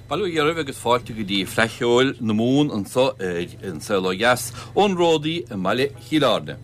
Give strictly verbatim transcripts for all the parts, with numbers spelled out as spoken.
Bail ó Dhia oraibh agus fáilte go dtí Fleadh Cheoil na Mumhan anseo ar An Saol Ó Dheas ón Ródaí i mbaile Chill Airne.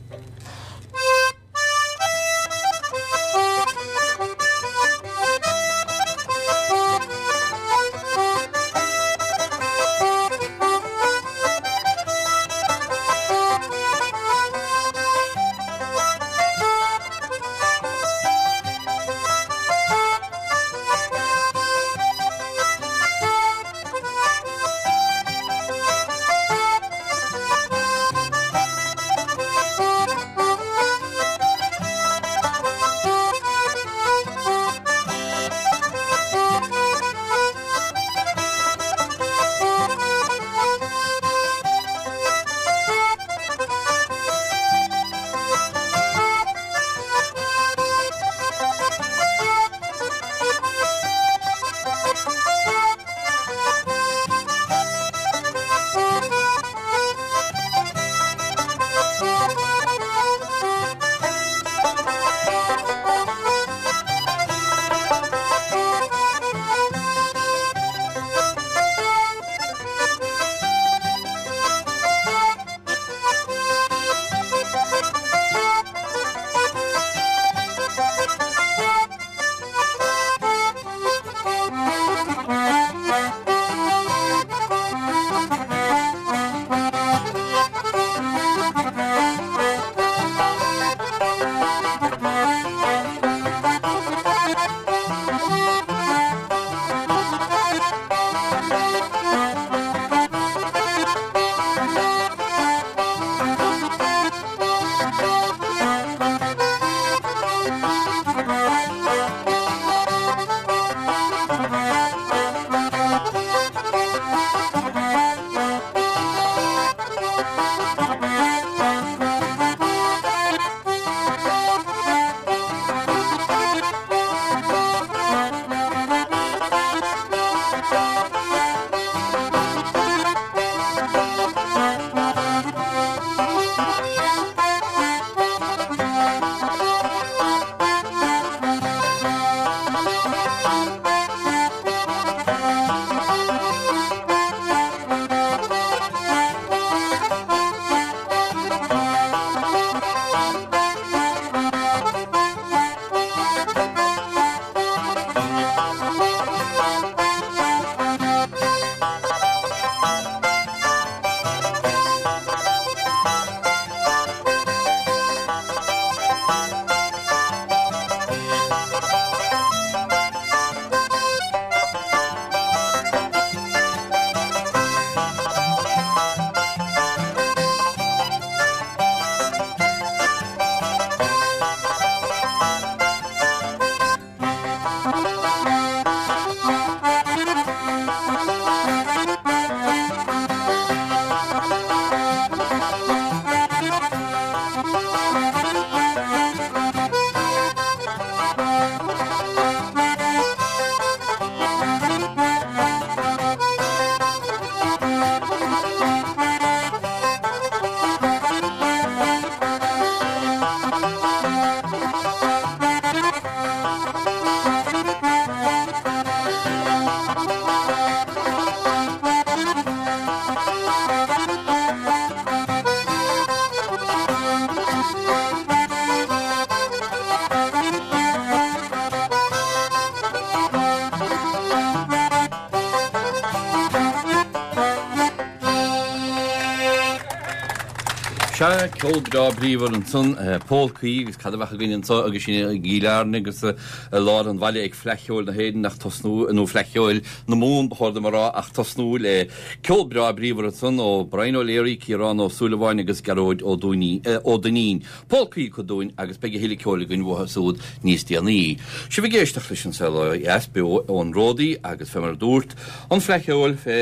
Sea, ceol breá bríomhar ansan, pólcaí agus cad a bheadh againn anso agus sinn i gCill Airne agus i lár an bhaile ag Fleadh Cheoil na hÉireann ach tosnú, nó Fleadh Cheoil na Mumhan ba chóir dom a rá, ach tosnú le ceol breá bríomhar ansan ó Brian O'Leary, Ciarán Ó Súilleabháin agus Gearóid Ó Duinnín. Pólcaí acu dúinn agus beidh a thuilleadh ceoil againn uathu súd níos déanaí. Sibh ag éisteacht leis an Saol Ó Dheas beo ón Ródaí agus fé mar a dúrt, an Fleadh Cheoil fé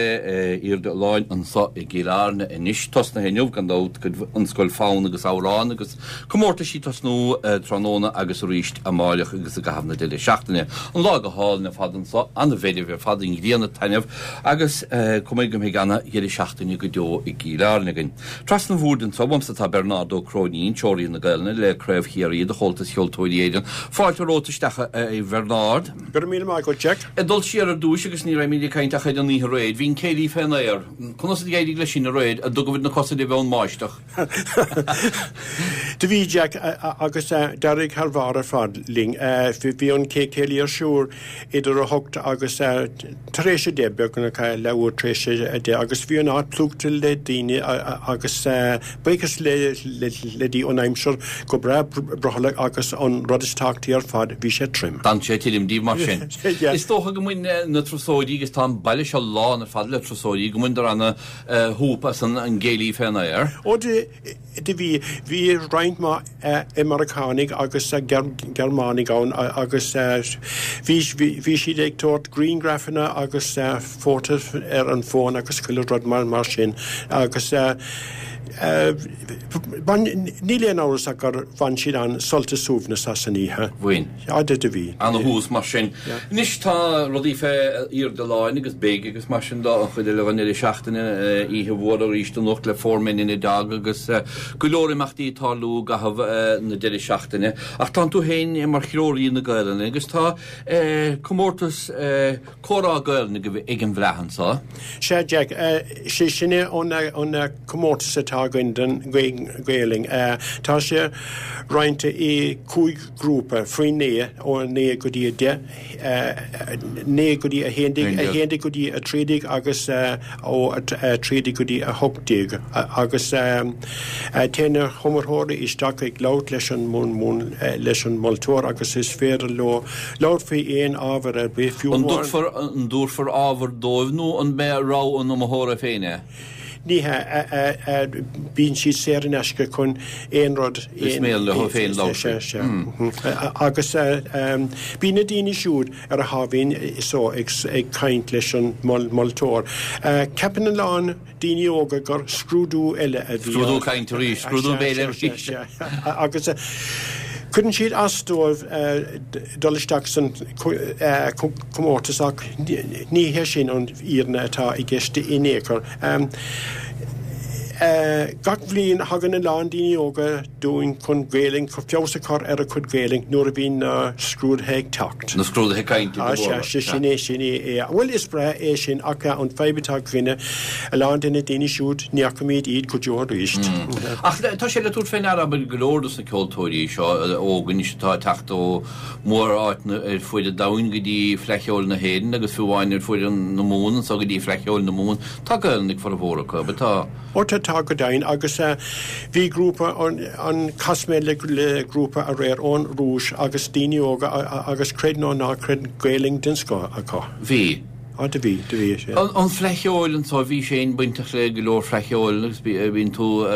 airde an láin anso i gCill Airne anois, tosnaithe inniu gan dabht, an Scoil Fonn agus Amhrán agus comórtaisí ag tosnú tráthnóna agus arís amáireach agus i gcaitheamh na deireadh seachtaine. An lá go hálainn ar fad anso, an-mheirbh ar fad, an ghrian ag taitneamh agus cuma go mbeidh ana-dheireadh seachtaine go deo i gCill Airne againn. Trasna an bhoird anso uaimse tá Bernard Ó Cróinín, Treoraí na Gaelainne le Craobh Chiarraí de Chomhaltas Cheoltóirí Éireann. Fáilte romhat isteach a Bhernard. Go raibh míle maith agat, Jack. Ag dul siar ar dtúis agus ní raibh mé ag caint ach ar an oíche aréir, bhí an céilí fén aer. Conas a d'éirigh leis sin aréir, an dtugaibh na cosa libh ón mbáisteach? Do bhí, Jack, agus d'éirigh thar bharr ar fad linn. Bhí an céilí ar siúl idir a hocht agus tar éis a deich, beagnach leathuair tar éis a deich, agus bhí an áit plúchta le daoine agus buíochas le Dia an aimsir go breá brothallach agus an rud is tábhachtaí ar fad, bhí sé tirim. D'fhan sé tirim díobh mar sin. Is dócha go mbain na turasóirí, agus tá an baile seo lán ar fad le turasóirí, go mbaineadar ana shúp as an gcéilí fén aer. Ó do bhí. Bhí roinnt mhaith Meiriceánaigh agus Gearmánaigh ann agus bhí bhí siad ag tabhairt grianghrafanna agus photos ar an bhfón agus chuile rud mar sin agus níl aon amhras ach gur bhain siad an-sult is suaimhneas as an oíche. Bhain. Á do bhí. Ana-thús mar sin. Anois tá rudaí fé airde láin agus beidh agus mar sin de an chuid eile den deireadh seachtaine, oíche mhór arís anocht le Four Men and a Dog agus go leor imeachtaí ag tarlú i gcaitheamh na deireadh seachtaine. Ach tánn tú féin mar threoraí na Gaelainne agus tá comórtas comhrá Gaelainne agaibh ag an bhFleadh anso. Sea Jack, sé sin é an comórtas atá againn don Ghaelainn. Tá sé roinnte i cúig grúpa faoi naoi, ó a naoi go dtí a deich, naoi go dtí a haon déag, a haon déag go dtí a trí déag agus ó a trí déag go dtí a hocht déag. Agus téann na hiomaitheoirí isteach ag labhairt leis an leis an moltóir agus is féidir leo labhairt faoi aon ábhar ar bith, fiú amháin. An dtabharfar ábhar dóibh nó an mbeidh rogha an iomaitheora féin é? Ní hea, bíonn siad saor in aisce chun aon rud. Is mian leo féin labhairt faoi. Agus bíonn na daoine siúd ar a thaobhín so ag caint leis an moltóir. Ceapann a lán daoine óga gur scrúdú eile a bhí ann. Scrúdú cainte arís, scrúdú béil arís. Agus cuireann siad as dóibh dul isteach san comórtas ach ní hé sin an fhírinne atá i gceist in aon chor. Gach bhliain thagann a lán daoine óga dúinn chun Gaelainn, feabhas a chur ar a cuid Gaelainn nuair a bhíonn na scrúduithe ag teacht. Na scrúduithe cainte go Ah sea, sea, sin é, sin é é. Bhuel, is breá é sin ach an fadhb atá againne, a lán de na daoine siúd, ní fheicimid iad go deo arís. Ach tá sé le tabhairt fé ndeara, abair, go leor dos na ceoltóirí seo óga anois atá ag teacht ó mhór-áiteanna ar fuaid an domhain go dtí Fleadh Cheoil na hÉireann agus fiú amháin ar fuaid na Mumhan anso go dtí Fleadh Cheoil na Mumhan, tá Gaelainn ag formhór acu, ab ea? Tá. Ó tá, tá go deimhin agus bhí grúpa an, chas mé le grúpa aréir ón Rúis agus daoine óga agus creid nó ná creid Gaelainn den scoth acu. Bhí. Á do bhí, do bhí, sea. An Fleadh Cheoil anso, bhís féin bainteach le go leor Fleadh Cheoil agus bíonn tú,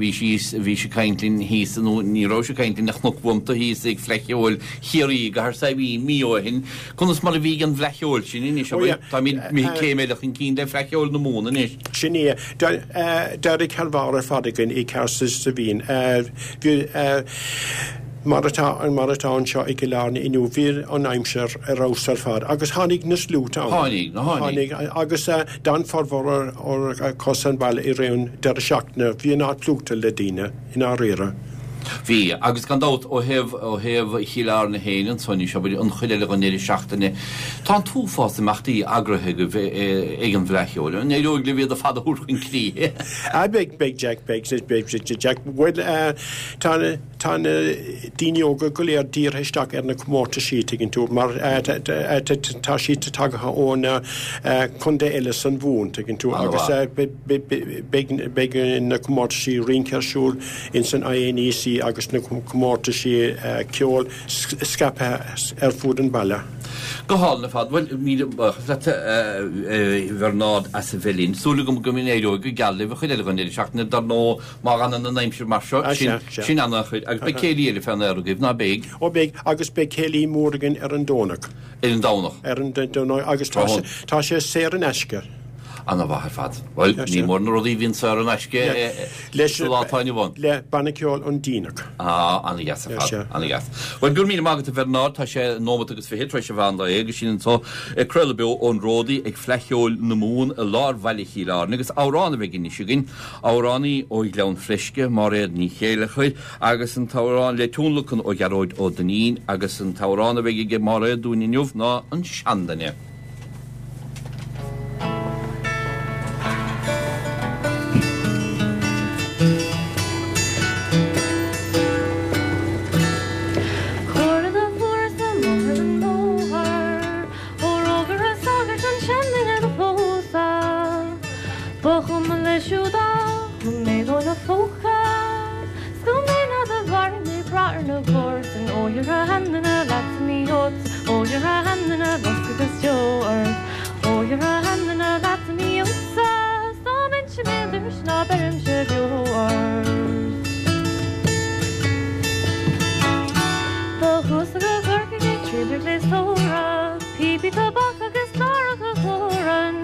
bhí síos, bhís ag caint linn thíos, nó ní rabhais ag caint linn ach chonac uaim tú thíos ag Fleadh Cheoil Chiarraí i gCathair Saidhbhín mí ó shin. Conas mar a bhí an Fhleadh Cheoil sin anois, Ó yeah. Táimid imithe céim eile chun cinn le Fleadh Cheoil na Mumhan anois. Sin é. D'éirigh thar bharr ar fad againn i gCathair Saidhbhín. Bhí, mar atá, mar atá anseo i gCill Airne inniu, bhí an aimsir ar fheabhas ar fad agus tháinig na sluaite ann. Tháinig, na tháinig. Tháinig agus d'fhan formhór acu san bhaile i rith an deireadh seachtaine. Bhí an áit plúchta le daoine, i ndáiríre. Bhí, agus gan dabht, ó thaobh, ó thaobh Chill Airne féin anso anois, abair, an chuid eile den deireadh seachtaine, tá an t-uafás imeachtaí eagraithe agaibh ag an bhFleadh Cheoil. An éireoidh libh iad ar fad a thabhairt chun críche? Ah, beidh, beidh Jack, beidh, beidh, Jack. Bhuel, tá na, tá na daoine óga go léir dírithe isteach ar na comórtaisí, tuigeann tú, mar tá siad tagtha ó na contae eile san Mhumhain, tuigeann tú, agus beidh, beidh na comórtaisí rince ar siúl ins an INEC agus na comórtaisí ceoil scaipthe ar fud an bhaile. Go hálainn ar fad. Bhuel, míle buíochas leat, a Bhernard, as a bheith linn. Súil agam go n-éireoidh go geal libh an chuid eile den deireadh seachtaine. Dar ndóigh, má fhanann an aimsir mar seo, sin, sin an-chuid. Agus beidh céilí eile fén aer agaibh, ná beidh? Ó beidh, agus beidh céilí mór againn ar an Domhnach. Ar an Domhnach? Ar an Domhnach, agus tá sé, tá sé saor in aisce. Ana-mhaith ar fad. Bhuel, ní mór na rudaí a bhíonn saor in aisce sa lá atá inniu ann. Le Banna Ceoil An Díneach. Ah, ana-dheas ar fad, ana-dheas. Bhuel, go raibh míle maith agat a Bhernard, tá sé nóimeat agus fiche tar éis an mheán lae agus sinn anseo ag craoladh beo ón Ródaí ag Fleadh Cheoil na Mumhan i lár bhaile Chill Airne agus amhrán a bheidh anois againn, amhránaí ó Ghleann Fleisce, Máiréad Ní Chéilleachair, agus an t-amhrán le tionlacan ó Ghearóid Ó Duinnín agus an t-amhrán a bheidh ag Máiréad dúinn inniu ná An Seanduine. Cuaire do fuair sa mbóthar an bóthar, ó rógaire sagart an seanduine do phósadh. Ba chuma leis siúd ach go mbeadh ina phóca, 's go mbeidh ná do mharaigh mé brath ar na comharsain. Ó dhera a sheanduine leatsa ní fheodsa, ó dhera a sheanduine loscadh agus deo ort. Ó dhera a sheanduine leatsa ní fheodsa, 's dá mbeinnse béal dorais ná beirimse beo ort. Do chuas go Corcaigh ag triall ar ghléastóra, píopaí tobac agus cláracha Chóran.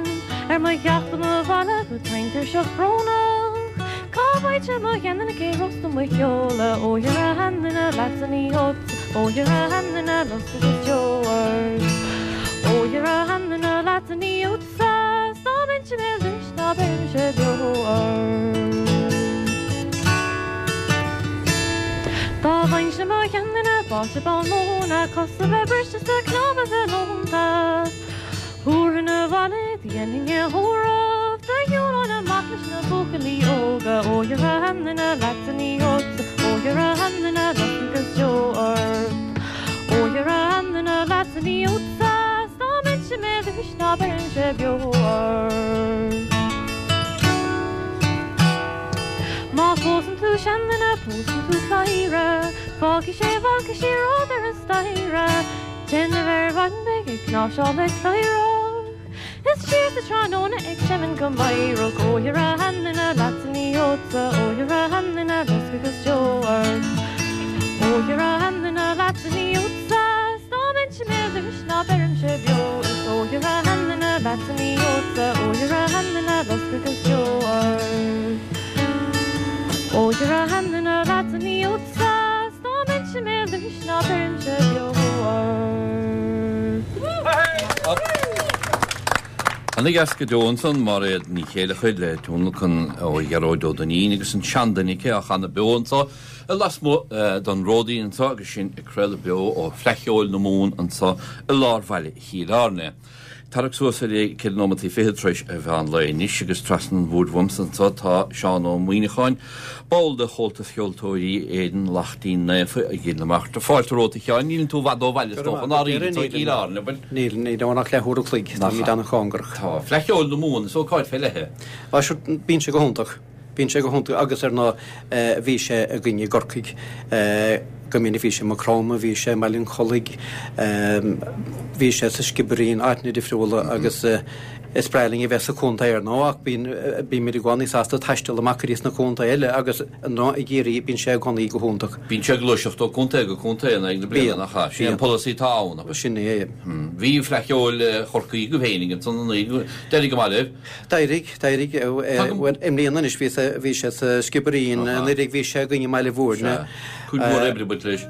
Ar mo theacht do mo bhaile go taintuirseach brónach, cá bhfaighte mo sheanduine cé rósta mo sheoladh. Ó dhera a sheanduine leatsa ní fheodsa, ó dhera a sheanduine loscadh agus deo ort. Ó dhera a sheanduine leatsa ní fheodsa, 's dá mbeinnse béal dorais ná beirimse beo ort. Dá bhfaighinn-se mo sheanduine báite ball móna, cosa bheith briste 's a cnámha bheith leonta. Thabharfainn abhaile dhéanfainn a thórramh, do shiúlóinn amach leis na buachaillí óga. Ó dhera a sheanduine leatsa ní fheodsa, ó dhera a sheanduine loscadh agus deo ort. Ó dhera a sheanduine leatsa ní fheodsa, 's dá mbeinnse béal dorais ná beirimse beo ort. Má phósann tú seanduine, pósann tú cladhaire, fágfaidh sé bhalcaí siar ar an staighre. Déanamh ar mhaidin beidh ag cnáimhseáil le cladhaireach, is siar sa tráthnóna ag seimint go meidhreach. Ó dhera a sheanduine leatsa ní fheodsa, ó dhera a sheanduine loscadh agus deo ort. Ó dhera a sheanduine leatsa ní fheodsa, 's dá mbeinnse béal dorais ná beirimse beo. Is ó dhera a sheanduine leatsa ní fheodsa, ó dhera a sheanduine loscadh agus deo ort. Ó dhera a sheanduine leatsa ní fheodsa, 's dá mbeinnse béal dorais ná beirimse beo ort. Ana-dheas go deo ansan, Máiréad Ní Chéilleachair le tionlacan ó Ghearóid Ó Duinnín agus an seanduine aici á chanadh beo anseo lasmuigh den Ródaí anseo agus sinn ag craoladh beo ó Fleadh Cheoil na Mumhan anseo i lár bhaile Chill Airne. Tarrac suas ar é ceithre nóimeataí fiche tar éis an mheán lae anois agus trasna an bhoird uaimse anseo tá Seán Ó Muíneacháin, ball de Chomhaltas Cheoltóirí Éireann Laichtín Naofa i gCill na Martra. Fáilte romhat a Sheáin, níleann tú i bhfad ó bhaile is dócha, ná rí anseo i gCill Airne, bhfuil? Níl, níl ann ach leathuair a chloig, táimid an-chóngarach. Tá Fleadh Cheoil na Mumhan, is ócáid fé leith é. Á, sure, bíonn sé go hiontach. Bíonn sé go hiontach agus ar ndóigh bhí sé againn i gCorcaigh go minic, bhí sé i Maigh Chromtha, bhí sé i mBaile an Chollaigh, bhí sé sa Sciobairín, áiteanna difriúla agus is breá linn a bheith sa chontae ar ndóigh ach bíonn bímid i gcónaí sásta taisteal amach go dtí sna contaetha eile agus ar ndóigh i gCiarraí bíonn sé i gcónaí go hiontach. Bíonn sé ag gluaiseacht ó contae go contae in aghaidh na bliana, nach ea? Sin é an polasaí atá ann, ab ea? Sin é. Bhí Fleadh Cheoil Chorcaí agaibh féinig ansan anuraidh, d'éirigh go maith libh. D'éirigh, d'éirigh. Bhuel, i mbliana anois bhí bhí sé sa Sciobairín, anuraidh bhí sé againn i mBaile Bhúirne. Cuid mhór oibre baint leis.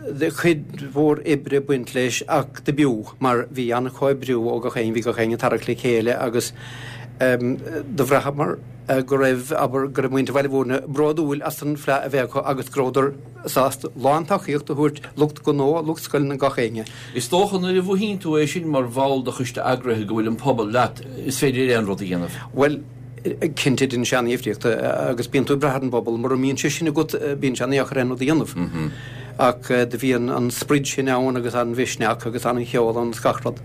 Cuid mhór oibre baint leis ach do b'fhiú mar bhí an-chomhoibriú ó gach éinne, bhí gach éinne ag tarrac le chéile agus do bhraitheamar go raibh, abair, go raibh muintir Bhaile Bhúirne bródúil as an fleadh a bheith acu agus go rabhadar sásta lántacaíocht a thabhairt lucht gnó, lucht scoileanna, gach éinne. Is dócha nuair a mhothaíonn tú é sin mar bhall de choiste eagraithe go bhfuil an pobal leat, is féidir aon rud a dhéanamh. Bhuel, cinnte déanann sé an-difríocht agus bíonn tú ag brath ar an bpobal, mura mbíonn sé sin agat bíonn sé an-dheacair aon rud a dhéanamh. Ach do bhí an sprid sin ann agus an mhisneach agus an-cheol ann agus gach rud.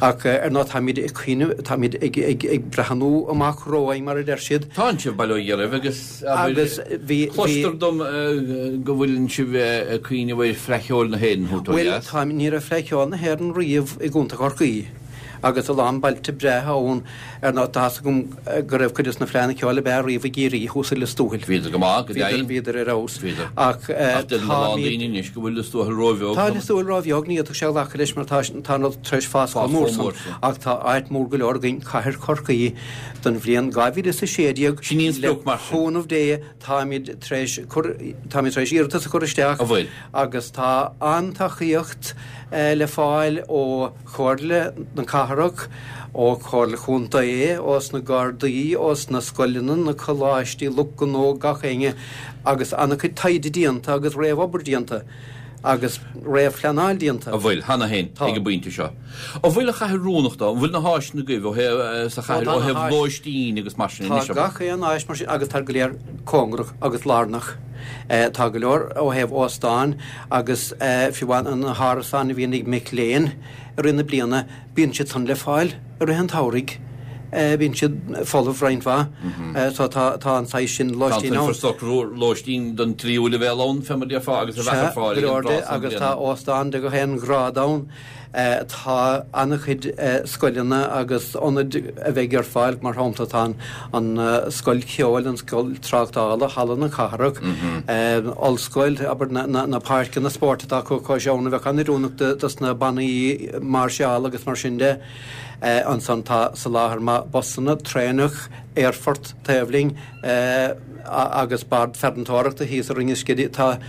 Ach ar ndóigh táimid ag cuimhneamh, táimid ag, ag, ag breathnú amach romhainn mar a deir siad. Tánn sibh, bail ó Dhia oraibh, agus abair, Agus bhí, bhí. cloistear dom go bhfuileann sibh ag cuimhneamh ar Fleadh Cheoil na hÉireann a thabhairt ó Bhuel, dheas. táim, ní raibh Fleadh Cheoil na hÉireann riamh i gContae Chorcaí Agus a lán bailte breátha ann ar ndóigh tá's agam go raibh cuid de na fleánna ceoil ab fhearr riamh i gCiarraí thuas i Lios Tuathail. Bhíodar go maith, go deimhin. Bhíodar ar fheabhas. Bhíodar. Ach Ach deir a lán daoine anois go bhfuil Lios Tuathail róbheag. Tá Lios Tuathail róbheag, ní fhéadfadh sé a ghlacadh leis mar tá tá an rud tar éis fás chomh mór san. Ach tá áit mór go leor againn, Cathair Chorcaí, don bhliain dhá mhíle is a sé déag. Sin í an Le sprioc mar sin. cúnamh Dé táimid tar éis cur, táimid tar éis iarratas a chur isteach. An bhfuil? Agus tá an-tacaíocht le fáil ó Chomhairle na Cathrach, ó Chomhairle Chontae, ós na Gardaí, ós na scoileanna, na coláistí, lucht gnó, gach éinne, agus an-chuid taighde déanta agus réamhobair déanta agus réamhphleanáil déanta. An bhfuil, cheana féin, ag an bpointe seo. An bhfuil an chathair oiriúnach dó? An bhfuil na háiseanna agaibh ó thaobh, sa chathair, ó thaobh lóistín agus mar sin anois? Tá gach aon áis mar sin agus tá go léir cóngarach agus lárnach. Tá go leor ó thaobh óstáin agus fiú amháin na hárasáin a bhíonn ag mic léinn i rith na bliana, bíonn siad san le fáil i rith an tsamhraidh. Bíonn siad folamh roinnt mhaith. So tá tá an saghas sin lóistín ann. Tá an infreastruchtúr lóistín don tríú leibhéal ann, fé mar a déarfá, agus a bheadh ar fáil ag an tráth san bliana. Agus tá óstán de gach aon ghrád ann. Tá an-chuid scoileanna agus ionaid a bheidh ar fáil, mar shampla tá an Scoil Cheoil, an Scoil Tráchtála, Halla na Cathrach, Ollscoil, abair na páirceanna spóirt atá acu cois abhann a bheadh an-oiriúnach dos na bannaí máirseála agus mar sin de. Ansan tá soláthar maith busanna, traenach, aerfort taobh linn agus bord farantóireachta thíos i Rinn an Scidígh. Tá.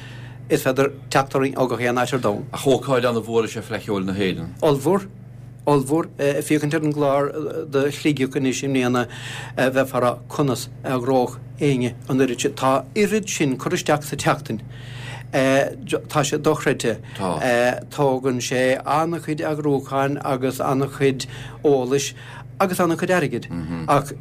Is féidir teacht orainn ó gach aon áit ar domhan. Ach ócáid an-mhór is ea Fleadh Cheoil na hÉireann. Ollmhór. Ollmhór. Féachaint ar an gclár do Shligeach anois i mbliana, bheifeá ag rá conas a eagródh éinne an oiread sin. Tá oiread sin cur isteach sa tseachtain. Tá sé dochreidte. Tá. Tógann sé an-chuid eagrúcháin agus an-chuid eolais agus an-chuid airgid. Ach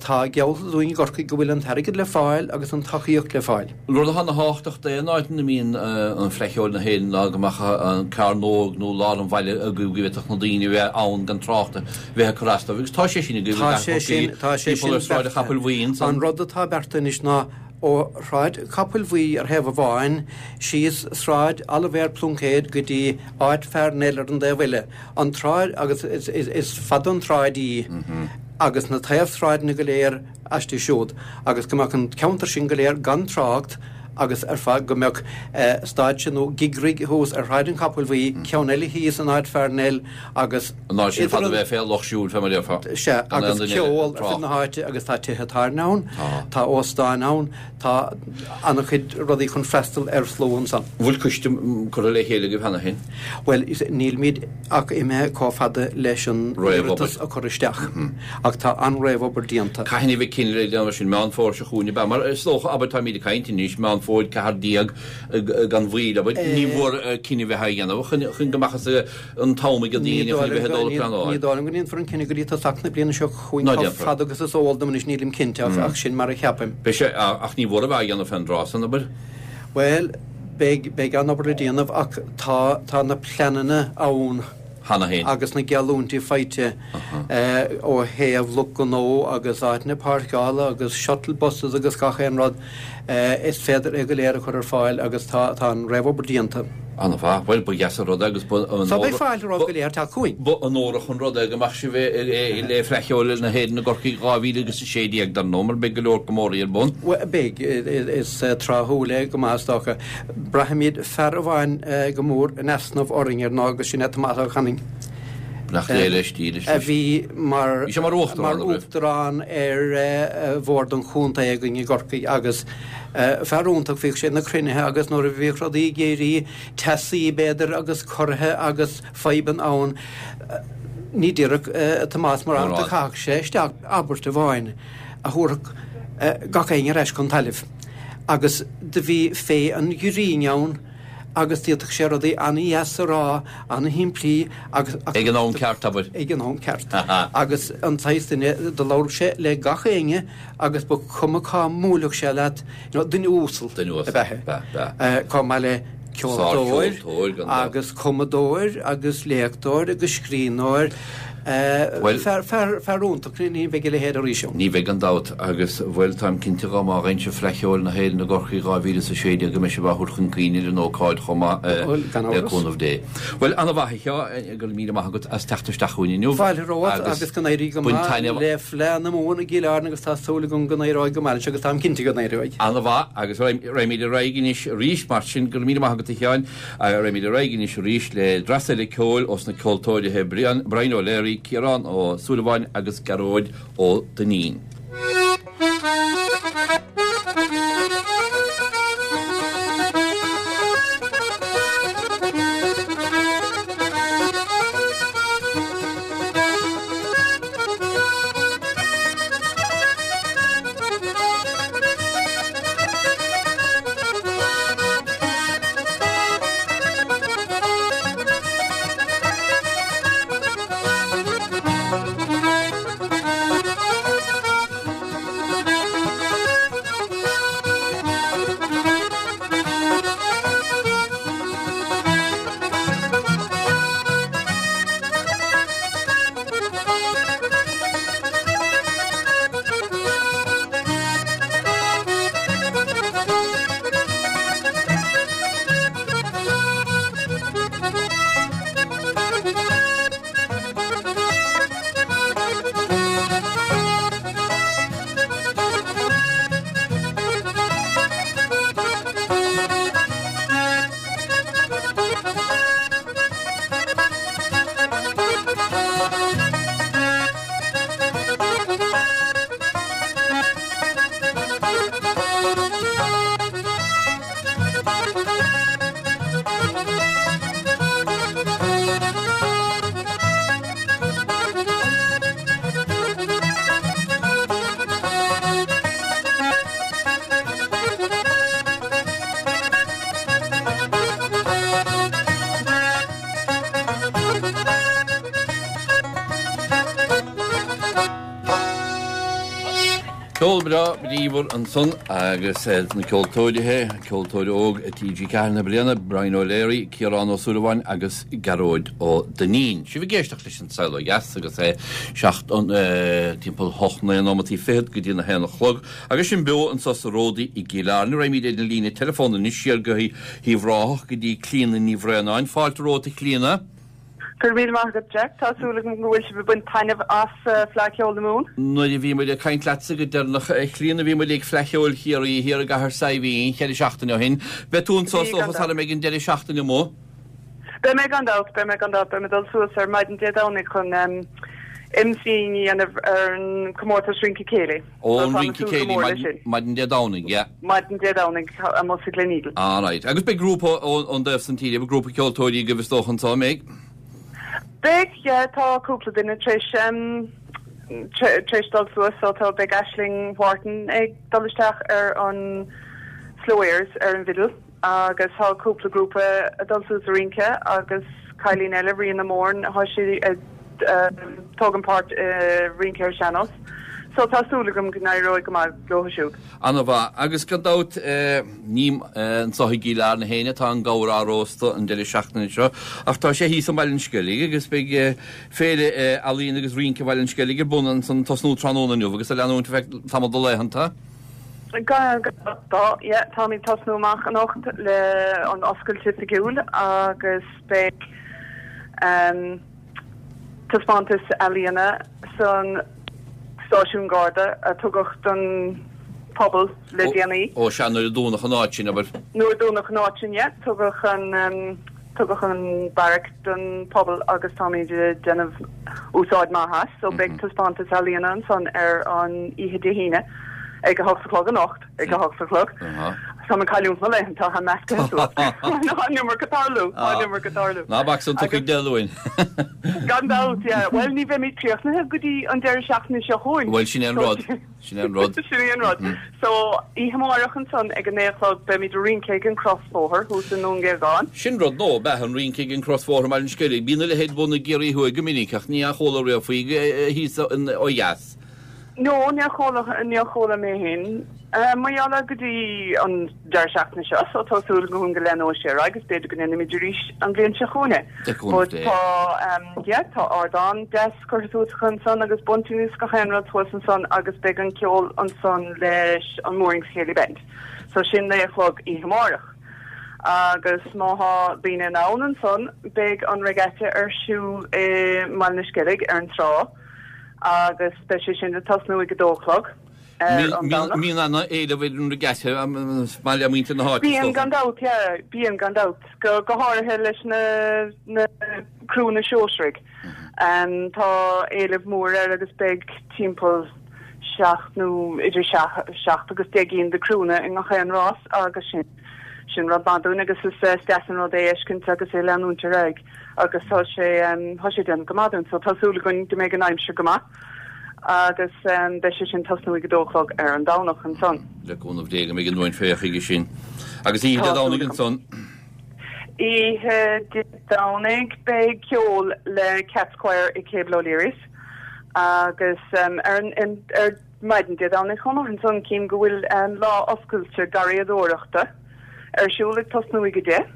tá geallta dúinn i gCorcaigh go bhfuil an t-airgead le fáil agus an tacaíocht le fáil. Rud atá ana-thábhachtach d'aon áit ina mbíonn an Fleadh Cheoil na hÉireann ná go mbeadh an cearnóg nó lár an bhaile agaibh go bhféadfadh na daoine a bheith ann gan trácht a bheith ag cur as dóibh. Agus tá sé sin agaibh i Tá sé sin, tá sé timpeall sin ar Sráid an Chapaill beartaithe. Bhuí ansan. An rud atá beartaithe anois ná ó Shráid Capaill Bhuí ar thaobh amháin síos Sráid Oilibhéir Pluincéid go dtí áit Pharnell ar an dtaobh eile, an tsráid, agus is fada an tsráid í, agus na taobhshráideanna go léir aisti siúd, agus go mbeadh an ceantar sin go léir gan trácht agus ar fad, go mbeadh stáitse nó gig rig thuas ar Shráid an Chapaill Bhuí, ceann eile thíos in áit Pharnell agus An áit sin idir fad a an. bheith fé lucht siúil, fé mar a déarfá. Sea, Gan aon agus duine eile ceol ag ar fud trácht. na háite agus tá tithe tábhairne ann, Tá. tá óstáin ann, tá an-chuid rudaí chun freastal ar shlua ansan. An bhfuil coiste curtha le chéile agaibh cheana féin? Bhuel, nílimid ach imithe chomh fada leis an Réamhobair. iarratas a chur isteach, ach tá an-réamhobair déanta. Cathain a bheidh cinneadh le déanamh sin? Meán Fómhair seo chugainn, ab ea? Mar is dócha, abair, táimid ag caint anois, Meán Fómhair ceathair déag gan mhoill, abair, ní mór cinneadh a bheith á dhéanamh chun chun go mbeadh an t-am ag Ní daoine chun dóigh a bheith ag dul ag liom pleanáil. go ndéanfar an cinneadh go dtí tosach na bliana seo chugainn Ná chomh déanfar. fada agus is eol dom anois, nílim cinnte ach ach sin mar a cheapaim. Beidh sé, ach ní mór a bheith á dhéanamh fén dtráth san, abair. Bhuel, beidh beidh an-obair le déanamh ach tá tá na pleananna ann. Cheana féin. Agus na geallúintí faighte ó thaobh lucht gnó agus áiteanna páirceála agus shuttle buses agus gach aon rud, is féidir é go léir a chur ar fáil agus tá tá an réamhobair déanta. An-mhaith. Bhuel, ba dheas an rud é agus ba So beidh fáilte romhaibh go léir teacht chugainn. Ba onórach an rud é go mbeadh sibh le Fleadh Cheoil na hÉireann i gCorcaigh dhá mhíle agus a sé déag, dar ndóigh, mar beidh go leor comóraí ar bun. Bhuel, beidh. Is tráthúil é go maith, is dócha. Braithimid fear amháin go mór in easnamh orainn ar ndóigh agus sin é Tomás Ó Canainn. Beannacht Dé leis, dílis A leis. bhí mar Bhí sé mar uachtarán, mar an raibh? uachtarán ar bhord an chontae againn i gCorcaigh agus fear iontach, bhíodh sé ag na cruinnithe agus nuair a bhíodh rudaí ag éirí teasaí b'fhéidir agus corraithe agus fadhbanna ann, ní déarfadh Tomás mórán, Mórán. do chaitheadh sé isteach abairt amháin a thabharfadh gach éinne ar ais chun tailimh agus do bhí féith an ghrinn ann agus d'fhéadfadh sé rudaí an-dheas a rá, an-shimplí agus. Ag an am ceart, abair. Ag an am ceart. Agus an saghas duine, do labhradh sé le gach éinne agus ba chuma cá mbuailfeadh sé leat, you know, duine uasal Duine uasal, ab ea é. b'ea, b'ea. Chomh maith le ceoltóir Sárcheoltóir, gan dabht. agus cumadóir agus léachtóir agus scríbhneoir. Well, fear, fear, fear iontach, ní bheidh a leithéid arís ann. Ní bheidh gan dabht, agus bhuel táim cinnte dá mba rince Fleadh Cheoil na hÉireann i gCorcaigh dhá mhíle is a sé déag go mbeidh sibh á thabhairt chun cuimhne ar an ócáid chomh maith Bhuel, gan le amhras. cúnamh Dé. Bhuel, ana-mhaith a Sheáin, go raibh míle maith agat as teacht isteach chugainn inniu. Fáilte romhat agus go n-éirí go bain maith taitneamh- le Fleadh na Mumhan i gCill Airne agus tá súil agam go n-éireoidh go maith leis agus táim cinnte go n-éireoidh. Ana-mhaith agus raghaimid ar aghaidh anois arís mar sin go raibh míle maith agat a Sheáin, raghaimid ar aghaidh anois arís le dreas eile ceoil ós na ceoltóirithe Brian, Brian O'Leary, Ciarán Ó Súilleabháin agus Gearóid Ó Duinnín. Ceol breá bríomhar ansan agus na ceoltóirithe, ceoltóir óg TG Ceathair na bliana, Brian O'Leary, Ciarán Ó Súilleabháin agus Gearóid Ó Duinnín. Sibh ag éisteacht leis an Saol Ó Dheas agus é seacht timpeall hocht naoi nóimeataí fichead go dtí na haon a chlog, agus sinn beo anso sa Ródaí i gCill Airne. Raghaimid ar an líne teileafóin anois siar go hUíbh Ráthach go dtí Clíona Ní Bhraonáin. Fáilte romhat a Chlíona. Go raibh míle maith agat Jack, Tá súil agam go bhfuil sibh ag baint taitneamh as Fleadh Cheoil na Mumhan. Nuair a bhí muid ag caint leatsa go deireanach a Chlíona bhí muid ag Fleadh Cheoil Chiarraí thiar i gCathair Saidhbhín cheithre seachtaine ó shin. Beidh tú anso Bhí gan is dócha ag an deireadh seachtaine mo. Beidh mé gan dabht, beidh mé gan dabht, beidh mé dul suas ar maidin Dé Domhnaigh chun um, MC a dhéanamh ar an comórtas Rince Céilí. Ó an Rince Céilí maidin Dé Domhnaigh, yeah. Maidin Dé Domhnaigh amuigh sa Gleneagle. Ah, right. Agus beidh grúpa ón dtaobh san tíre, grúpa ceoltóirí go bhfios dócha anso an mbeidh. Beidh yeah, tá cúpla duine tar éis um, tar éis dul suas so tá beidh Aisling Wharton ag dul isteach ar an Slow Airs ar an bhfidil agus tá cúpla grúpa ag dul suas a rince agus cailín eile Ríona Moran tá sí ag tógáil páirt i rince ar sean-nós. So tá súil agam go n-éireoidh go maith leo siúd. Ana-mhaith agus gan dabht ní anso i gCill Airne féin atá an gabhar á róstadh an deireadh seachtaine seo, ach tá sé thíos i mBaile an Sceilg agus beidh féile ealaíon agus rince Bhaile an Sceilg ar bun ansan tosnú tráthnóna inniu agus a leanúint feadh tamall de laethanta. Tá táimid tosnú amach anocht le an oscailt oifigiúil agus beidh um, taispeántas ealaíona san stáisiún Garda a tugadh don pobal le déanaí. Ó sea nuair a dúnadh an áit sin abair. Nuair a dúnadh an áit sin, yeah, tugadh an um, tugadh an barrack don pobal agus táimid ag déanamh úsáid maith as, so beidh taispeántas ealaíona ansan ar an oíche Dé hAoine ag a hocht a chlog anocht ag a hocht a chlog. Tá an cailliúint na laethanta tá measctha an iomarca ag tarlú an iomarca ag tarlú. Ná bac san tucaigh deluin. Gan dabht, yeah. Well ní bheimid críochnaithe go dtí an deireadh seachtaine seo chugainn. Well sin an rud. Sin an rud. Sin an rud. So oíche amárach ansan ag an naoi a chlog beimid ag rince ag an Crosbhóthar thuas i nDún Géagáin. Sin rud nua bheith an rince ag an Crosbhóthar mar an Sceilg. Bíonn a leithéid bun i gCiarraí Thuaidh go minic ach níor chuala riamh faoi thíos ó dheas. No, níor chuala níor chuala mé féin Mar gheall go dtí an deireadh seachtaine seo, so tá súil agam go leanóidh sé ar aghaidh agus b'fhéidir go ndéanfaimid arís an bhliain seo chugainn. But tá yeah, tá ardán deas curtha suas acu ansan agus bunting is gach aon rud thuas ansan agus beidh an ceol ansan leis an Moorings Céilí Band. So sin naoi a chlog oíche amárach. Agus má thá daoine in ann ansan beidh an regatta ar siúl i mBaile na Sceilg ar an trá agus beidh sé sin ag tosnú ag a dó a chlog. Bíonn an-éileamh ar an regatta maith le muintir na háite. Bíonn gan dabht, yeah, bíonn gan dabht. Go go háirithe leis na na criúnna sóisearaigh. Um, tá éileamh mór air agus beidh timpeall seacht nó idir seacht agus deich gcinn de criúnna i ngach aon rás agus sin sin rud maith dúinn agus is eh, deas an rud é a fheiscint agus é leanúint ar aghaidh agus tá sé um, tá sé déanamh go maith dúinn, so tá súil againn go mbeidh an aimsir go maith. agus um, beidh sé sin tosnú ag a dó a chlog ar an Domhnach ansan. Le cúnamh Dé go mbeidh an uain féach chuige sin. Agus oíche Dé Domhnaigh ansan? Oíche Dé Domhnaigh beidh ceol le Cats Choir i Cable O'Leary's agus um, ar, an, ar maidin Dé Domhnaigh chomh maith ansan cím go bhfuil um, lá oscailte garraíodóireachta ar siúl ag tosnú ag a deich.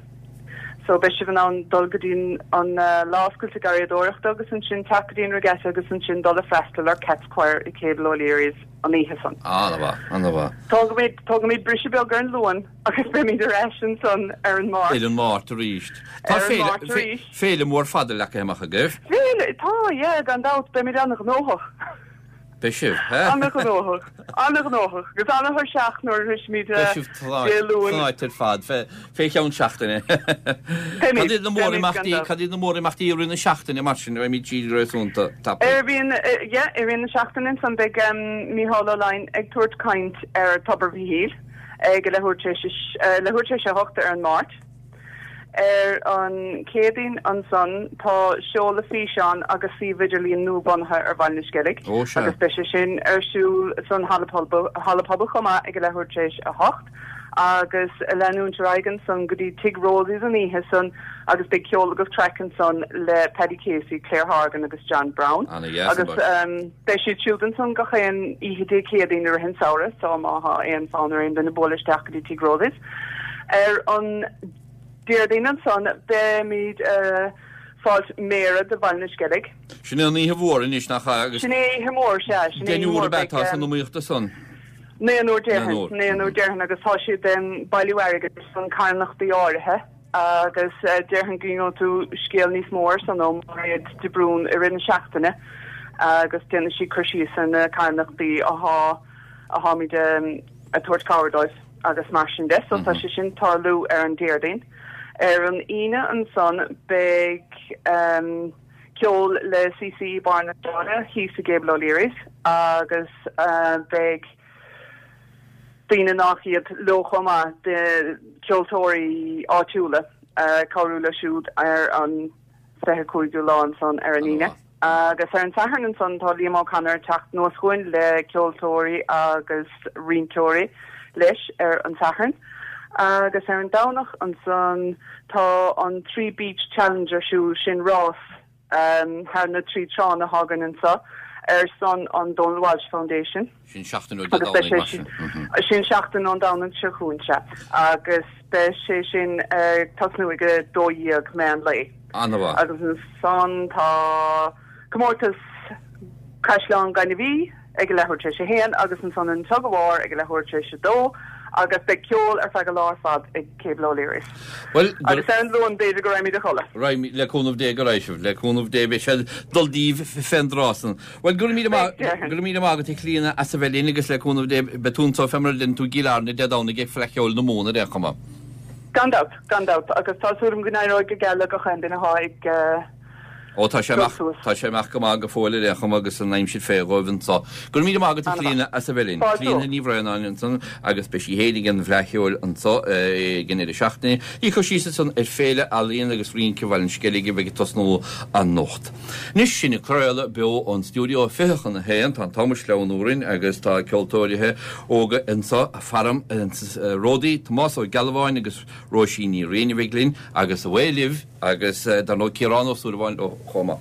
So beidh sibh in ann dul go dtí an lá oscailte garraíodóireachta agus ansin teacht go dtí an regatta agus ansin dul a freastal ar Cats Choir i Cable O'Leary's an oíche san. An-mhaith, an-mhaith. Tógaimid, tógaimid briseadh beag ar an Luan agus beimid ar ais ansan ar an Máirt. Ar an Máirt arís. Tá Ar an féile, Máirt arís. féile mór fada leagtha amach agaibh. Féile, tá, yeah, gan dabht, beimid an-ghnóthach. Beidh sibh, he? An-ghnóthach, an-ghnóthach, agus an-tuirseach nuair a shroisimid Beidh sibh Dé Luain. tnáite ar fad, fé fé cheann seachtaine. Beimid, Cad iad na beimid gan mórimeachtaí, dabht. cad iad na mórimeachtaí i rith na seachtaine mar sin, beimid siad réasúnta tapaidh. Ar bhíonn, yeah, i rith na seachtaine ansan beidh um, Mícheál Ó Laighin ag tabhairt caint ar Tobar Mhichíl ag a leathuair tar éis a leathuair tar éis a hocht ar an Máirt. Ar an Chéadaoin ansan tá seoladh físeán agus suíomh idirlín nuabhunaithe ar Bhaile na Sceilg Ó, sea. agus beidh sé sin ar siúl san halla pobail halla pobail chomh maith ag a leathuair tar éis a hocht agus leanúint ar aghaidh ansan go dtí Tigh Rosie's an oíche san agus beidh ceol agus craic ansan le Paddy Casey, Claire Horgan agus John Brown. Ana-dheas Agus an um, beidh siad siúd ansan gach aon oíche Dé Céadaoin i rith an samhradh, so má thá aon fonn ar aon duine bualadh isteach go dtí Tigh Rosie's. Ar an Déardaoin ansan beimid uh, fáilt méara de Bhaile na Sceilg. Sin é an oíche mhór anois nach ea agus Sin é oíche mhór sea, sin é oíche deichniúr mhór ab ea beidh tá san um, iomaíocht san. Naonúr déarfainn, Naonúr. naonúr déarfainn agus tá siad um, bailiú airgid san carthanachtaí áirithe agus uh, déarfainn go ngeobhaidh tú scéal níos mó ar san ó Mairéad de Brún i rith na seachtaine agus déanfaidh sí cur síos ar na carthanachtaí athá atháimid um, ag tabhairt cabhair dóibh agus mar sin de, so tá sé sin tarlú ar an Déardaoin. Ar an Aoine ansan beidh um, ceol le CC Barr na Dála thíos i Gable O'Leary's agus uh, beidh daoine nach iad leo chomh maith de ceoltóirí áitiúla uh, cabhrú leo siúd ar an fiche cúigiú lá ansan ar an Aoine. Agus ar an Satharn ansan tá Liam O'Connor teacht anuas chugainn le ceoltóirí agus rinceoirí leis ar an Satharn. Agus ar an Domhnach ansan tá an Three Beach Challenge ar siúl sin rás um, thar na trí tránna atá againn anseo ar son an Donald Walsh Foundation. Sin seachtain ó Dé Agus beidh Domhnaigh sé mar sin. sin sin seachtain ón Domhnach seo chugainn sea. Agus beidh sé sin ag tosnú ag a dó dhéag meán lae. An-mhaith. Agus ansan tá comórtas Caisleán Gainimh Í ag a leathuair tar éis a haon agus ansan an tug of war ag a leathuair tar éis a dó agus beidh ceol ar feadh an lá ar fad ag Cable O'Leary's. Well, Agus ar an Luan b'fhéidir go raghaimid a chodladh. Raghaimid le cúnamh Dé go raghaidh sibh, le cúnamh Dé beidh sé dul díobh fén dtráth san. Well go raibh míle maith Beidh, déarfainn. go raibh míle maith agat a Chlíona as a bheith linn agus le cúnamh Dé beidh tú anseo fé mar a deireann tú i gCill Airne Dé Domhnaigh ag Fleadh Cheoil na Mumhan ar aon chuma. Gan dabht, gan dabht, agus tá súil agam go n-éireoidh go geal le gach aon duine atá ag uh, Ó tá sé amach Dul suas. tá sé amach go maith go fóill ar aon chuma agus an aimsir fé dhóibh anseo. Go raibh míle maith agat a An-mhaith. Chlíona as a bheith linn. Fáilte. Clíona Ní Bhraonáin ansan agus beidh sí féin ag an bhFleadh Cheoil anseo ag an deireadh seachtaine. Í chur síos ansan ar Féile Ealaíon agus Rince Bhaile an Sceilg a bheidh ag tosnú anocht. Anois sinn ag craoladh beo ón stiúideo fiche chun a haon tá an t-am ag sleamhnú orainn agus tá ceoltóirithe óga anseo a farm Ródaí Tomás Ó Gealbháin agus Róisín Ní Riain a bheidh linn agus a bhfuil libh agus eh, dar ndóigh Ciarán Ó Súilleabháin ó chomh maith.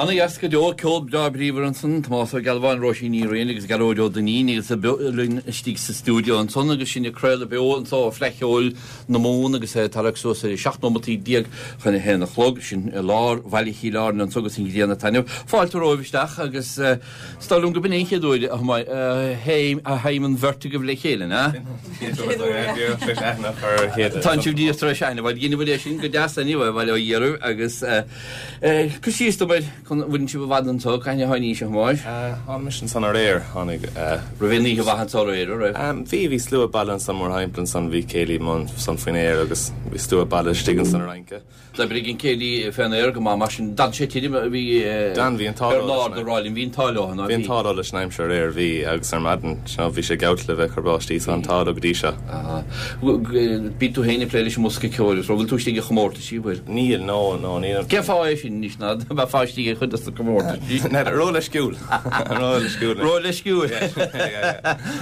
Ana dheas go deo ceol breá bríomhar ansan, Tomás Ó Gealbháin, Róisín Ní Riain agus Gearóid Ó Duinnín agus linn istigh sa stiúideo ansan agus sinn ag craoladh beo anso ó Fleadh Cheoil na Mumhan agus é tarrac suas ar seacht nóimeataí déag chun a haon a chlog, sin i lár bhaile Chill Airne anso agus an ghrian ag taitneamh. Fáilte romhaibh isteach agus is dóigh liom go b'in é an chéad uair a théim an bheirt agaibh le chéile, na? Tá sibh díreach tar éis aithne, bhuel dheineabhair é sin go deas anyway, bhuel ó dheireadh agus cur síos dom ar an bhfuil sibh i bhfad anseo, cathain a tháinís, a Thomáis? Tháinig mise ansan aréir, tháinig. Raibh aon oíche mhaith anso aréir, an raibh? Bhí, bhí slua baile ansan mórthimpeall ansan, bhí céilí ansan faoin aer agus bhí slua baile istigh ansan ag rince. D'oibrigh an céilí fén aer go maith mar sin. D'fhan sé tirim, bhí D'fhan, bhí an t-ádh leo leis an. Bernard ag rá linn, bhí an t-ádh leo, ná bhí? Bhí an t-ádh leo leis an aimsir aréir, bhí, agus ar maidin, you know, bhí sé geallta le bheith ag cur báistí, so an t-ádh leo go dtí seo. Aha. Bíonn tú féin ag plé leis an mbosca ceoil agus, bhfuil tú istigh i chomórtaisí, bhfuil? Níl, no, no, níl. Cén fáth é sin anois, ná bheifeá istigh i chuid de na comórtaisí? N'fheadar, ró-leisciúil. Ró-leisciúil. Ró-leisciúil.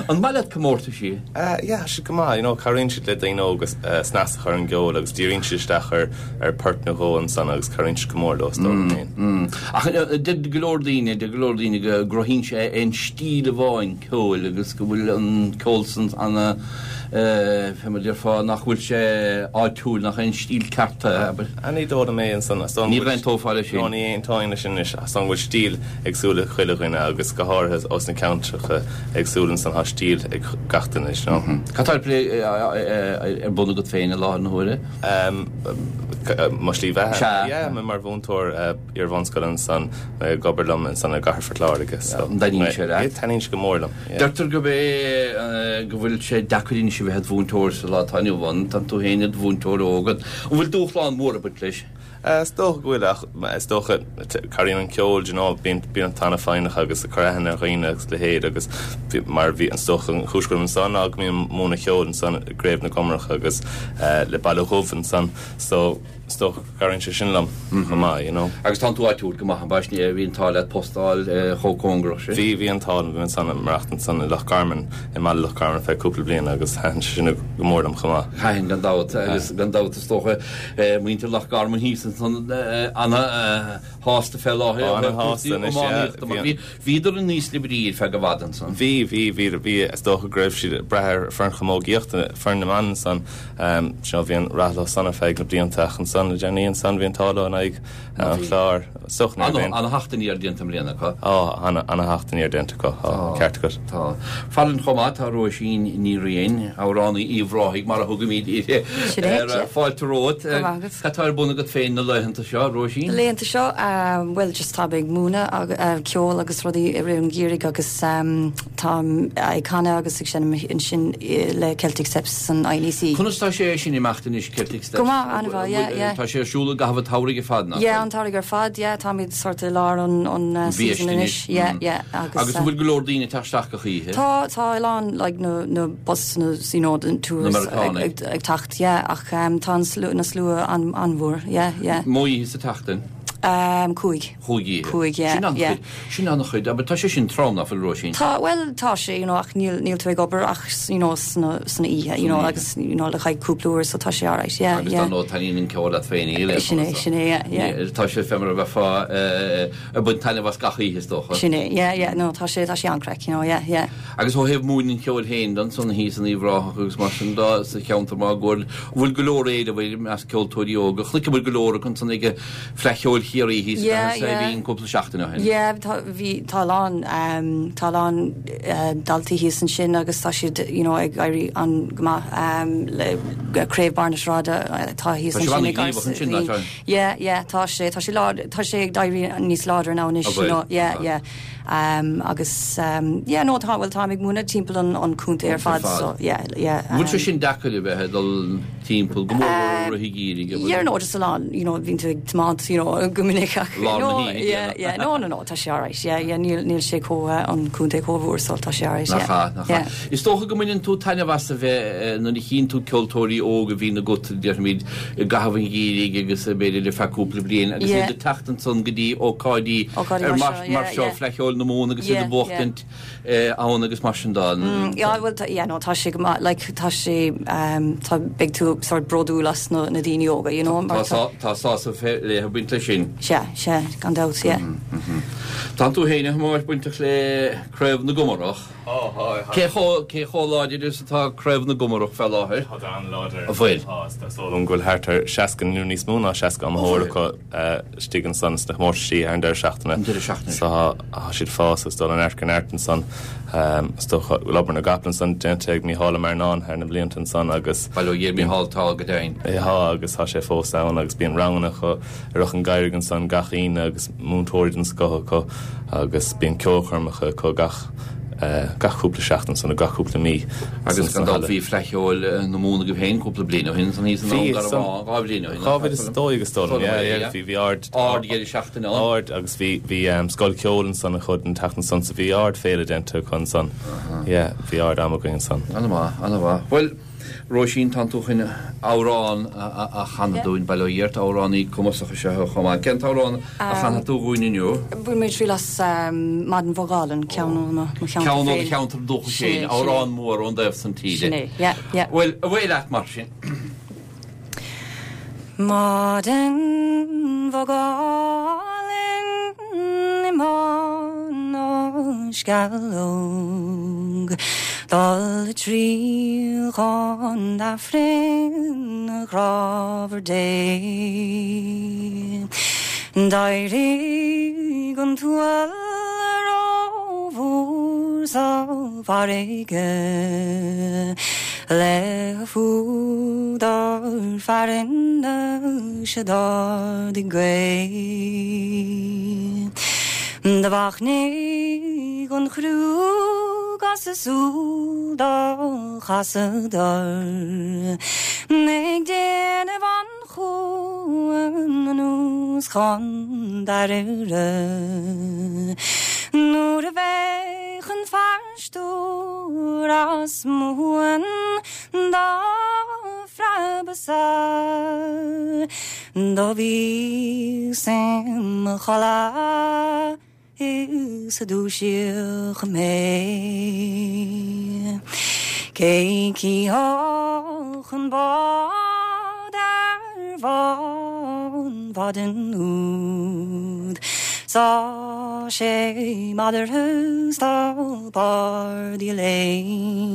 An maith leat comórtaisí? Yeah, tá siad go maith, you know, cabhraíonn siad le daoine óga snas a chur ar an gceol agus díríonn siad isteach ar ar port nó dhó ansan agus cabhraíonn siad go mór leo, is dóigh liom féin. Ach deir go leor daoine, deir go leor daoine go gcruthaíonn sé aon stíl amháin ceoil agus go bhfuil an ceol san ana, fé mar a déarfá, nach bhfuil sé áitiúil, nach aon stíl ceart é, abair. Ní dóigh liom é ansan. Is dóigh liom Ní aontófá leis sin. No, ní aontóinn leis sin anois. Is dóigh liom go bhfuil stíl éagsúil ag chuile dhuine agus go háirithe ós na ceantracha éagsúla ansan tá stíl ag gach duine, you know. Cad tá ar plé ar bun agat féin i láthair na huaire? Mo shlí bheatha? Sea. Yeah, mé mar mhúinteoir iar-bhunscoile ansan, mé ag obair liom ansan i gcathair Phort Láirge, so. An dtaitníonn sé leat? Taitníonn sé go mór liom, yeah. Deirtear gurb é go bhfuil sé deacair anois a bheith id mhúinteoir sa lá atá inniu ann, tá tú féin id mhúinteoir óg. An bhfuil dúshlán mór ag baint leis? Is dócha go bhfuil ach is dócha cabhraíonn an ceol, you know, bíonn bíonn tú an-fhoighneach agus ag cur aithne ar dhaoine agus a leithéid agus mar bhí is dócha an chúis go bhfuilim ansan ná go mbím ag múineadh ceoil ansan i gCraobh na gComaracha agus le Baile Dhubh ansan so is dócha go gcabhraíonn sé sin liom chomh maith, you know. Agus tánn tú áitiúil go maith, ab ea? Bhí an t-ádh leat post a fháil chomh cóngarach sin. Bhí, bhí an t-ádh liom, bhí mé ansan ag maireachtaint ansan i Loch Garman, i mbaile Loch Garman ar feadh cúpla bliain agus thaitin sé sin go mór liom chomh maith. Thaitin gan dabht agus gan dabht is dócha muintir Loch Garman thíos ansan ana-shásta fé láthair ó thaobh cúrsaí iománaíochta mar bhí, bhíodar in ísle brí ar feadh i bhfad ansan. Bhí, bhí, bhí, bhí, is dócha go raibh siad ag brath ar foireann chamógaíochta, foireann na mban ansan, you know, bhí an rath leo san ar feadh na blianta ach ansan le déanaí ansan bhí an t-ádh leo in aghaidh an Chláir. Is dócha ní raibh aon. Ana-theacht aniar déanta i mbliana acu. Á, ana, ana-theacht aniar déanta acu, tá, ceart agat. Tá. Farainn chomh maith tá Róisín Ní Riain, amhránaí Uíbh Ráthaigh mar a thugaimid uirthi. Sin é, sea. Fáilte romhat. Go raibh maith agat. Cad tá ar bun agat féin na laethanta seo, Róisín? Na laethanta seo, bhuel, just táim ag múineadh ceoil agus rudaí i rith an gheimhridh agus táim ag canadh agus ag seinm ansin le Celtic Steps san INEC. Conas tá sé sin ag imeacht anois, Celtic Steps? Go maith, an-mhaith, yeah, yeah. Tá sé ar siúl i gcaitheamh an tsamhraidh ar fad, nach bhfuil? Yeah, an t-samhradh ar fad, yeah, táimid sort i lár an an season anois, yeah, yeah, agus. Agus an bhfuil go leor daoine ag teacht isteach gach oíche? Tá, tá a lán, like, na na busanna, you know, the tours ag ag teacht, yeah, ach tá an slua, na slua an an-mhór, yeah, yeah. Mó oíche sa tseachtain? Um, cúig. Cúig oíche. Cúig, yeah, Sin yeah. an-chuid, sin an-chuid, aber tá sé sin trom, nach bhfuil, Róisín? Tá, bhuel, tá sé, you know, ach níl, níl tú ag obair ach, you know, sna, sna oíche, you know, agus, you know, le haghaidh cúpla uair, so tá sé alright, yeah, Agus yeah. dar ndóigh taitníonn an ceol leat féin, níl aon Sin é, chuma sin é, yeah, yeah. Ní, tá sé fé mar a bheifeá eh, ag baint taitneamh as gach oíche, is dócha. Sin é, yeah, yeah, no, tá sé, tá sé an-craic, you know, yeah, yeah. Agus ó thaobh múineadh an cheoil féin de ansan thíos in Uíbh Ráthach agus mar sin de sa cheantar máguaird, an bhfuil go leor éileamh air i measc ceoltóirí óga? Chonaiceamar go leor acu ansan ag Fleadh Cheoil Chiarraí thíos i Yeah, gCathair Saidhbhín yeah. cúpla seachtain ó shin. Yeah, tá, bhí, tá a lán, um, tá a lán uh, daltaí thíos ansin agus tá siad, you know, ag éirí an go maith um, le Craobh Barr na Sráide atá thíos Tá sibh ansin ag an-ghníomhach ansin, nach ea? Yeah, yeah, tá sé, tá sé lád, tá sé ag éirí níos láidre now anois, An you bhfuil? know, yeah, Ah. yeah. Um, agus, um, yeah, no, tá, well, táim ag múineadh timpeall an, an contae ar fad, so, yeah, yeah. An bhfuil sé um, sin deacair a bheith ag dul timpeall go mór mór i rith an gheimhridh, an bhfuil? Yeah, no, just a lán, you know, bhíonn tú ag tiomáint, you know, go minic ach, Lár na no, hoíche, yeah, yeah, no, no, no, tá sé alright, yeah, yeah, níl, níl sé chomh, uh, an contae chomh mhór, so tá sé alright, Nach yeah. ea, nach ea. Yeah. Is dócha go mbaineann tú taitneamh as a bheith eh, nuair a chíonn tú ceoltóirí óga a bhíonn agat, déarfaimid, i gcaitheamh an gheimhridh agus b'fhéidir le feadh cúpla bliain agus Yeah. iad ag teacht ansan go dtí ócáidí Ócáidí ar mar mar seo, mar yeah, seo yeah. Fleadh Cheoil Cheoil na Mumhan agus iad ag buachtaint ann agus mar sin de. Yeah, well, yeah, no, tá sé go maith, like, tá sé, um, tá, beidh tú sort bródúil as na, na daoine óga, you know. Tá, tá sásamh le ag baint leis sin. Sea, sea, gan dabht, yeah. Tá tú féin a Thomáis bainteach le Craobh na gComarach. Cé chomh, cé chomh láidir is atá Craobh na gComarach fé láthair? Tá an-láidir. An bhfuil? Tá, is dóigh liom go bhfuil thart ar seasca nó níos mó ná seasca iomaitheoir acu istigh ansan sna comórtaisí ar an deireadh seachtaine. An deireadh seachtaine. So tá siad ag fás agus dul ó neart go neart ansan. Is dócha go bhfuil obair na gcapall ansan déanta ag Mícheál Ó Mairneáin thar na blianta ansan agus. Bail ó Dhia ar Mícheál, tá go deimhin. Tá agus tá sé fós ann agus bíonn ranganna acu i Ráth an Gheimhridh ansan gach Aoine agus múinteoirí den scoth acu agus bíonn ceolchoirmeacha acu gach gach cúpla seachtain san nó gach cúpla mí. Agus gan dabht bhí Fleadh Cheoil na Mumhan agaibh féin cúpla bliain ó shin san thíos an am dhá bhliain ó shin. Dhá mhíle is a dó dhéag is dóigh liom, yeah, yeah, bhí bhí ard ard dheireadh seachtaine ann. Ard agus bhí bhí scoil ceoil ansan acu an tseachtain san so bhí ard féile déanta acu ansan. Yeah, bhí ard am againn ansan. An-mhaith, an-mhaith. Bhuel, Róisín, tánn tú chun amhrán a chanadh dúinn, bail ó Dhia ort, amhránaí cumasach is ea thú chomh maith. Cén t-amhrán a chanfaidh tú dhúinn inniu? Bhain mé triail as Maidin Bhog Álainn, ceann ó mo cheantar féin. Ceann ó do cheantar dúchais féin, amhrán mór ón dtaobh san tíre. Sin é, yeah, yeah. Bhuel, away leat mar sin. Maidin bhog álainn i mBá na Sceallóg, dul ag triall chun Aifrinn a ghrámhair Dé. D'éirigh an t-uaill rómhór sa bhfarraige le fuadar fearainn 's d'ardaigh gaoth. Do mhachnaigh an chriú 'gus a súil do chasadar ag déanamh an chuain anuas chun Dáirire. Nuair a bheadh an fear stiúir as Mumhain dá phreabadh-sa, do bhíos im chodladh is a dúisíodh mé. Cé chífeadh an bád ar bhá an mhaidin úd, 's tá sé meadartha 's tá bardaí léim.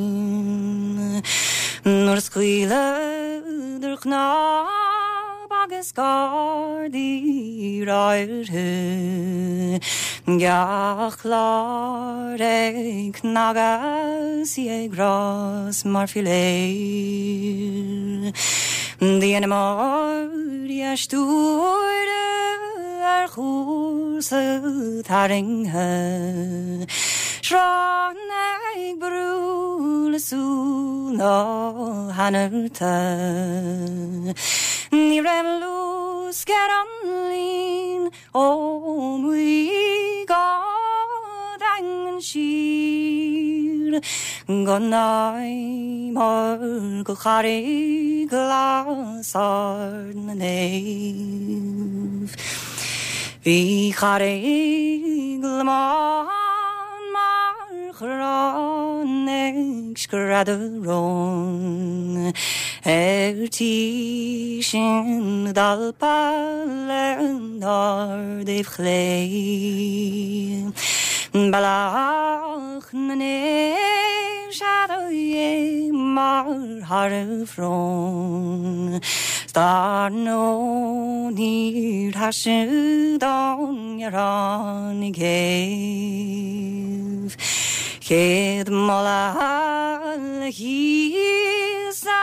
Nuair a scaoileadar cnámh agus gardaí ráithe, gach clár ag cnagadh 's í ag rás mar philéar. Dheineamar í a stiúradh ar chúrsa tarraingthe, srón ag brú le súil na hanarta. Ní raibh luasc ar an líon ó Mhaigh go Daingean siar, go Námar go Carraig Ghlas Ard na Naomh. Bhí Carraig Lomán mar chrann ag screadadh rón, ar tí sin d'alpadh lenár dtaobh chlé. Bealach na Naomh sea do dhéanamar thar a shrón, 's dar ndóigh níor thaise don ghearán i gcéibh. Céad moladh le hÍosa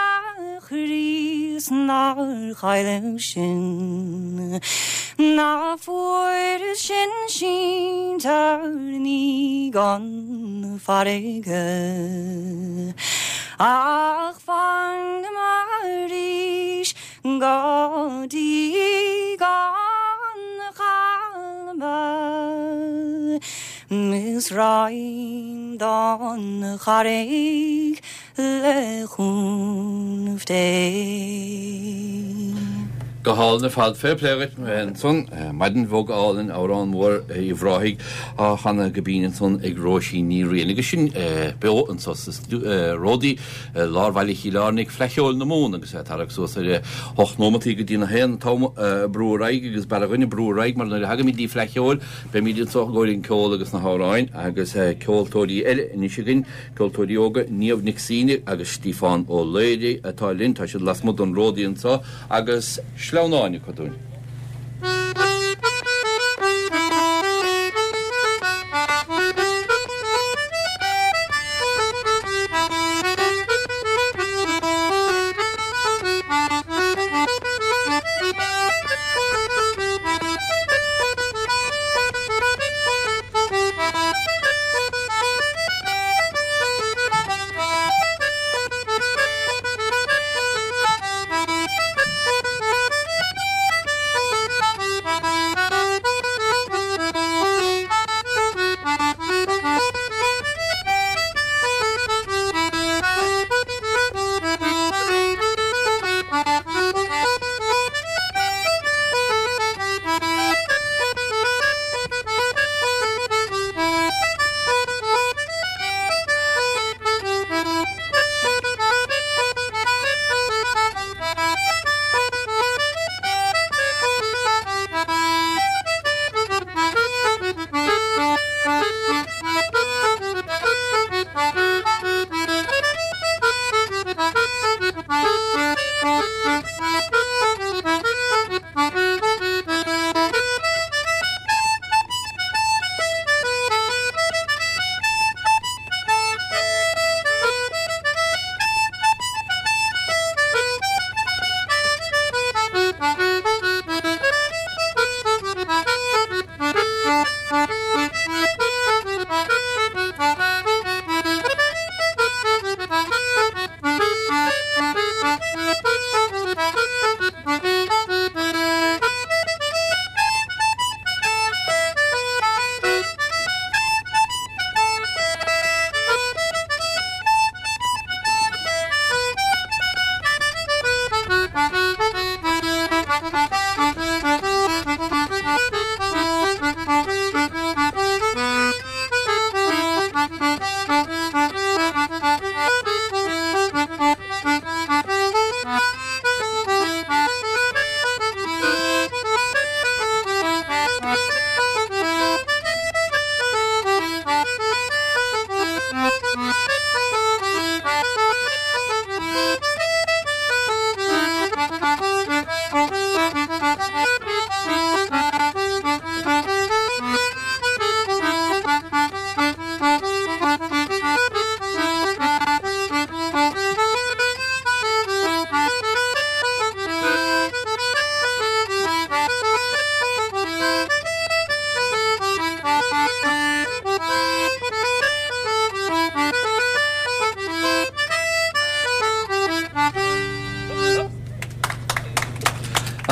Chríost nár chailleadh sinn, ná fuair sinn sínte ní gan farraige. Ach fanamar arís go dtí gan chalma, Is raghainn don Charraig le cúnamh Dé. Go hálainn ar fad. Fair play dhuit ansan, Maidin Bhog Álainn, amhrán mór Uíbh Ráthaigh á chanadh go binn ansan ag Róisín Ní Riain. Agus sinn beo anso sa Ródaí i lár bhaile Chill Airne ag Fleadh Cheoil na Mumhan agus é ag tarrac suas ar hocht nóimeataí go dtí'n a haon. An t-am ag brú ar aghaidh agus b'fhearr againne brú ar aghaidh mar nuair a thagaimid dtí Fleadh Cheoil beimid anso i gcomhair an ceol agus na hamhráin agus ceoltóirí eile anois againn, ceoltóirí óga, Niamh Nic Suibhne agus Stiofán Ó Laoire atá linn. Tá siad lasmuigh den Ródaí anso agus sleamhnáin acu dúinn.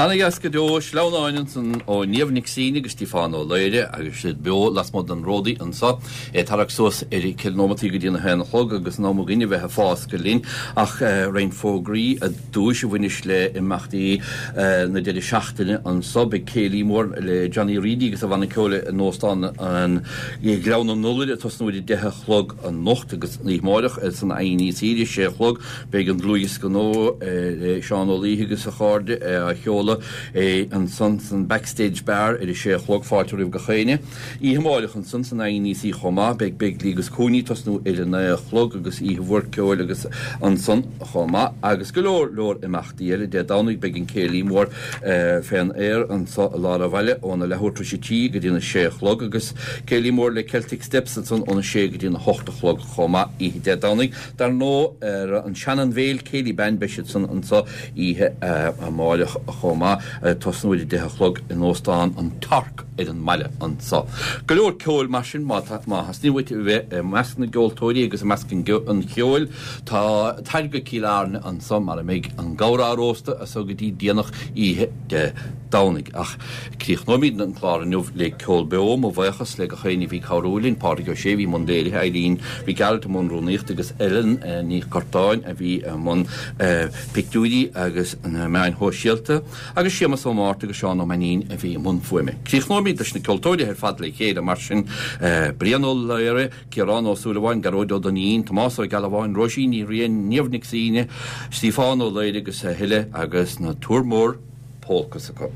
Ana-dheas go deo, sleamhnáin ansan ó Niamh Nic Suibhne agus Stiofán Ó Laoire agus siad beo lasmuigh den Ródaí anso. É ag tarrac suas ar ceithre nóimeataí go dtí'n a haon a chlog agus an am againn a bheith ag fáscadh linn ach roinnt fógraí ar dtúis a bhaineas le imeachtaí na deireadh seachtaine anso. Beidh céilí mór le Johnny Reidy agus a bhanna ceoil in Óstán an Ghleann an Iolair ag tosnú ar a deich a chlog anocht agus an oíche amárach san INEC ar a sé a chlog beidh an dlúthdhiosca nua le Seán Ó Laoithe agus a chairde á sheoladh ansan san Backstage Bar ar a sé a chlog, fáilte roimh gach éinne. Oíche amárach ansan san INEC chomh maith, beidh Begley agus Cooney ag tosnú ar a naoi a chlog agus oíche mhór ceoil agus ansan chomh maith agus go leor leor imeachtaí eile. Dé Domhnaigh beidh an céilí mór fén aer anso i lár an bhaile óna leathuair tar éis a trí go dtí'n a sé a chlog agus céilí mór le Celtic Steps ansan óna sé go dtí'n a hocht a chlog chomh maith oíche Dé Domhnaigh. Dar ndóigh ar an Shannon Vale Céilí Band beidh siad san anso oíche amárach chomh maith, ag tosnú ar a deich a chlog in Óstán an Torc ar an mbaile anso. Go leor ceoil mar sin má theastaíonn uait a bheith i measc na gceoltóirí agus i measc an cheoil, tá tar go Cill Airne anso mar a mbeidh an gabhar á róstadh as so go dtí déanach oíche Dé Domhnaigh. Ach críochnóimid an clár inniu le ceol beo, mo bhuíochas le gach éinne a bhí ag cabhrú linn, Pádraig Ó Sé a bhí i mbun léirithe, Eileen Mhic Gearailt i mbun rúnaíochta agus Ellen Ní Churtáin a bhí i mbun pictiúirí agus na meáin shóisialta. Agus Séamus Ó Márta agus Seán Ó Mainnín a bhí i mbun fuaime. Críochnóimid leis na ceoltóirí ar fad le chéile mar sin, Brian Ó Laoire, Ciarán Ó Súilleabháin, Gearóid Ó Duinnín, Tomás Ó Gealbháin, Róisín Ní Riain, Niamh Nic Suibhne, Stiofán Ó Laoire agus a thuilleadh agus na Toormore Polkas acu.